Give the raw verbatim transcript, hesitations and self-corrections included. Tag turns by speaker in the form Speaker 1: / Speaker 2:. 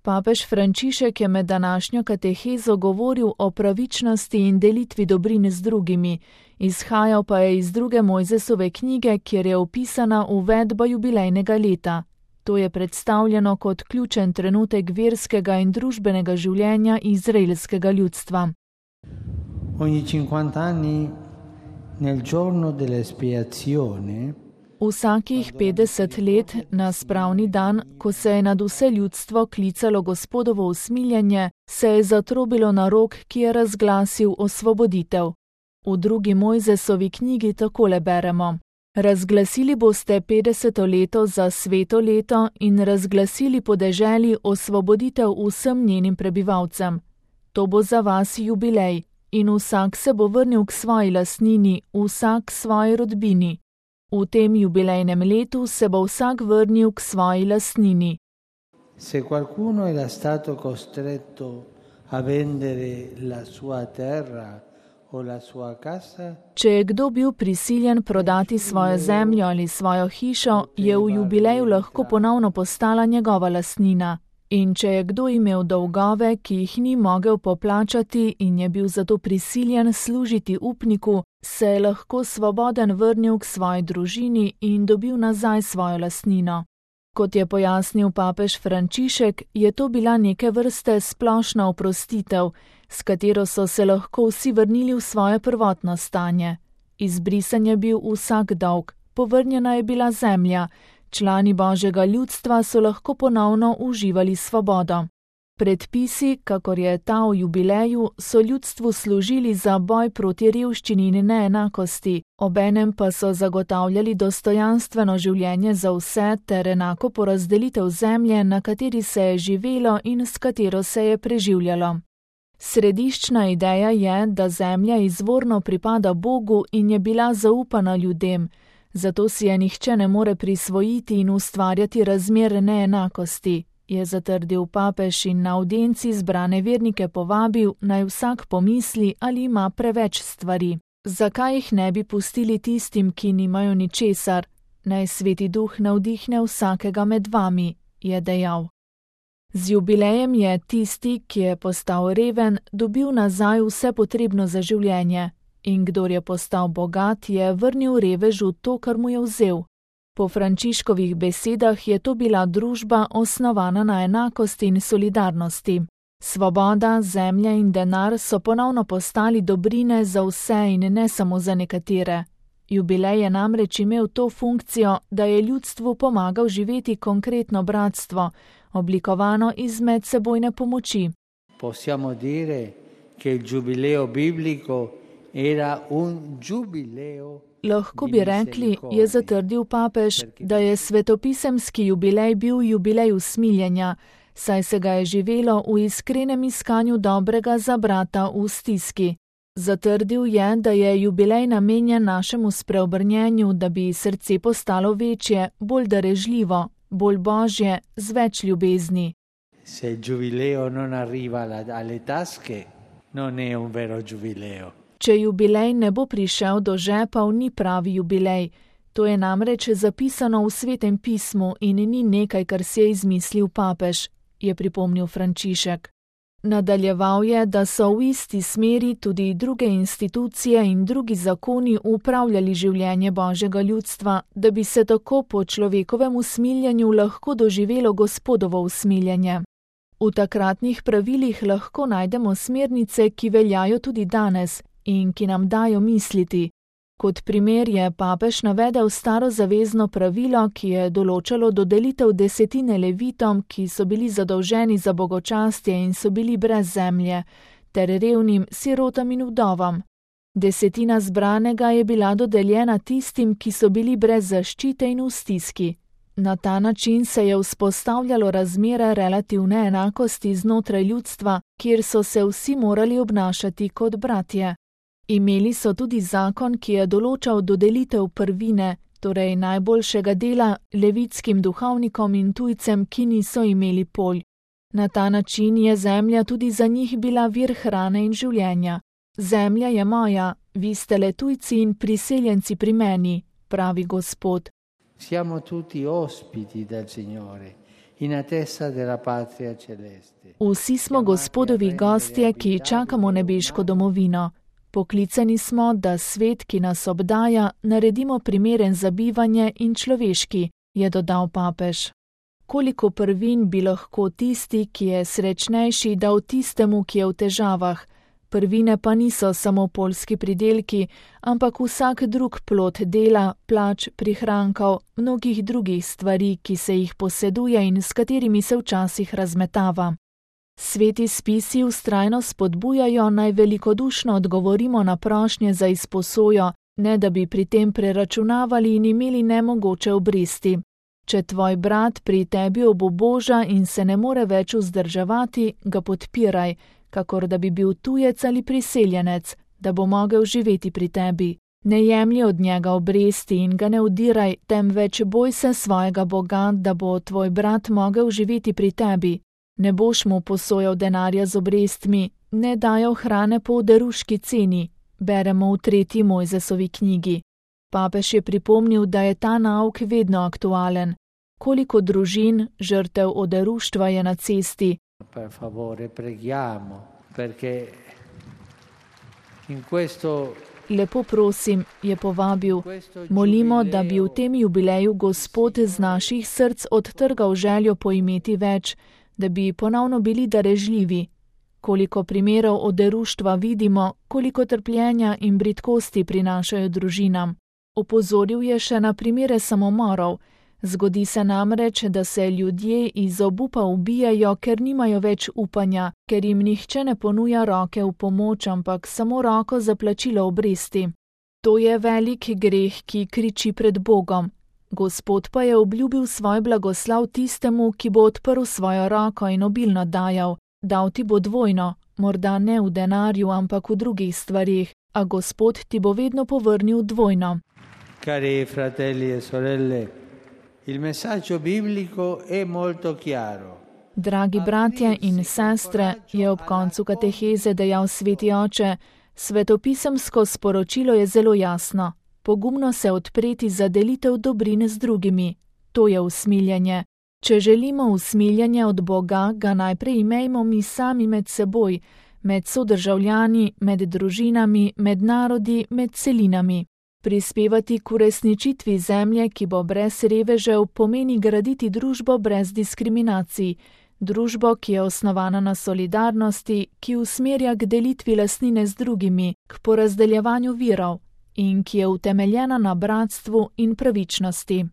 Speaker 1: Papež Frančišek je med današnjo katehezo govoril o pravičnosti in delitvi dobrin z drugimi, izhajal pa je iz druge Mojzesove knjige, kjer je opisana uvedba jubilejnega leta. To je predstavljeno kot ključen trenutek verskega in družbenega življenja izraelskega ljudstva.
Speaker 2: Ogni cinquanta anni nel giorno dell'espiazione
Speaker 1: Vsakih petdeset let na spravni dan, ko se je nad vse ljudstvo klicalo Gospodovo usmiljenje, se je zatrobilo na rog, ki je razglasil osvoboditev. V drugi Mojzesovi knjigi takole beremo: Razglasili boste petdeseto leto za sveto leto in razglasili po deželi osvoboditev vsem njenim prebivalcem. To bo za vas jubilej in vsak se bo vrnil k svoji lastnini, vsak svoji rodbini. V tem jubilejnem letu se bo vsak vrnil k svoji lastnini.
Speaker 2: Se qualcuno era stato costretto a vendere la sua terra o la sua casa,
Speaker 1: Če je kdo bil prisiljen prodati svojo zemljo ali svojo hišo, je v jubileju lahko ponovno postala njegova lastnina. In če je kdo imel dolgove, ki jih ni mogel poplačati in je bil zato prisiljen služiti upniku, se je lahko svoboden vrnil k svoji družini in dobil nazaj svojo lastnino. Kot je pojasnil papež Frančišek, je to bila neke vrste splošna oprostitev, s katero so se lahko vsi vrnili v svoje prvotno stanje. Izbrisan je bil vsak dolg, povrnjena je bila zemlja, člani Božjega ljudstva so lahko ponovno uživali svobodo. Predpisi, kakor je ta v jubileju, so ljudstvu služili za boj proti revščini in neenakosti, obenem pa so zagotavljali dostojanstveno življenje za vse ter enako porazdelitev zemlje, na kateri se je živelo in s katero se je preživljalo. Središčna ideja je, da zemlja izvorno pripada Bogu in je bila zaupana ljudem, zato si je nihče ne more prisvojiti in ustvarjati razmer neenakosti, je zatrdil papež in na avdienci zbrane vernike povabil, naj vsak pomisli, ali ima preveč stvari. Zakaj jih ne bi pustili tistim, ki nimajo ničesar? Naj Sveti Duh navdihne vsakega med vami, je dejal. Z jubilejem je tisti, ki je postal reven, dobil nazaj vse potrebno za življenje. In kdor je postal bogat, je vrnil revežu to, kar mu je vzel. Po Frančiškovih besedah je to bila družba osnovana na enakosti in solidarnosti. Svoboda, zemlja in denar so ponovno postali dobrine za vse in ne samo za nekatere. Jubilej je namreč imel to funkcijo, da je ljudstvu pomagal živeti konkretno bratstvo, oblikovano iz medsebojne pomoči.
Speaker 2: Possiamo dire che il giubileo biblico era un giubileo.
Speaker 1: Lahko bi rekli, je zatrdil papež, da je svetopisemski jubilej bil jubilej usmiljenja, saj se ga je živelo v iskrenem iskanju dobrega za brata v stiski. Zatrdil je, da je jubilej namenjen našemu spreobrnjenju, da bi srce postalo večje, bolj darežljivo, bolj božje, z več ljubezni.
Speaker 2: Se il giubileo non arriva alle tasche, non è un vero giubileo.
Speaker 1: Če jubilej ne bo prišel do žepov, ni pravi jubilej. To je namreč zapisano v Svetem pismu in ni nekaj, kar si je izmislil papež, je pripomnil Frančišek. Nadaljeval je, da so v isti smeri tudi druge institucije in drugi zakoni upravljali življenje Božjega ljudstva, da bi se tako po človekovem usmiljenju lahko doživelo Gospodovo usmiljenje. V takratnih pravilih lahko najdemo smernice, ki veljajo tudi danes in ki nam dajo misliti. Kot primer je papež navedel staro zavezno pravilo, ki je določalo dodelitev desetine levitom, ki so bili zadolženi za bogočastje in so bili brez zemlje, ter revnim sirotam in vdovam. Desetina zbranega je bila dodeljena tistim, ki so bili brez zaščite in v stiski. Na ta način se je vzpostavljalo razmere relativne enakosti znotraj ljudstva, kjer so se vsi morali obnašati kot bratje. Imeli so tudi zakon, ki je določal dodelitev prvine, torej najboljšega dela, levitskim duhovnikom in tujcem, ki niso imeli polj. Na ta način je zemlja tudi za njih bila vir hrane in življenja. Zemlja je moja, vi ste le tujci in priseljenci pri meni, pravi Gospod.
Speaker 2: Siamo tutti ospiti del Signore in attesa della patria celeste.
Speaker 1: Vsi smo Gospodovi gostje, ki čakamo nebeško domovino. Poklicani smo, da svet, ki nas obdaja, naredimo primeren za bivanje in človeški, je dodal papež. Koliko prvin bi lahko tisti, ki je srečnejši, dal tistemu, ki je v težavah? Prvine pa niso samo poljski pridelki, ampak vsak drug plod dela, plač, prihrankov, mnogih drugih stvari, ki se jih poseduje in s katerimi se včasih razmetava. Sveti spisi vztrajno spodbujajo, naj velikodušno odgovorimo na prošnje za izposojo, ne da bi pri tem preračunavali in imeli nemogoče obresti. Če tvoj brat pri tebi obuboža in se ne more več vzdrževati, ga podpiraj, kakor da bi bil tujec ali priseljenec, da bo mogel živeti pri tebi. Ne jemlji od njega obresti in ga ne udiraj, temveč boj se svojega Boga, da bo tvoj brat mogel živeti pri tebi. Ne boš mu posojal denarja z obrestmi, ne dajal hrane po oderuški ceni, beremo v tretji Mojzesovi knjigi. Papež je pripomnil, da je ta nauk vedno aktualen. Koliko družin, žrtev oderuštva je na cesti.
Speaker 2: Per favore, preghiamo, perché in questo
Speaker 1: Lepo prosim, je povabil, molimo, da bi v tem jubileju Gospod z naših src odtrgal željo po imeti več, da bi ponovno bili darežljivi. Koliko primerov oderuštva vidimo, koliko trpljenja in bridkosti prinašajo družinam. Opozoril je še na primere samomorov. Zgodi se namreč, da se ljudje iz obupa ubijajo, ker nimajo več upanja, ker jim nihče ne ponuja roke v pomoč, ampak samo roko za plačilo obresti. To je velik greh, ki kriči pred Bogom. Gospod pa je obljubil svoj blagoslav tistemu, ki bo odprl svojo roko in obilno dajal. Dal ti bo dvojno, morda ne v denarju, ampak v drugih stvarih, a Gospod ti bo vedno povrnil dvojno.
Speaker 2: Cari fratelli e sorelle, il messaggio biblico è molto chiaro.
Speaker 1: Dragi bratje in sestre, je ob koncu kateheze dejal sveti oče, svetopisemsko sporočilo je zelo jasno. Pogumno se odpreti za delitev dobrin z drugimi. To je usmiljenje. Če želimo usmiljenje od Boga, ga najprej imejmo mi sami med seboj, med sodržavljani, med družinami, med narodi, med celinami. Prispevati k uresničitvi zemlje, ki bo brez revežev, pomeni graditi družbo brez diskriminacij, družbo, ki je osnovana na solidarnosti, ki usmerja k delitvi lastnine z drugimi, k porazdeljevanju virov in ki je utemeljena na bratstvu in pravičnosti.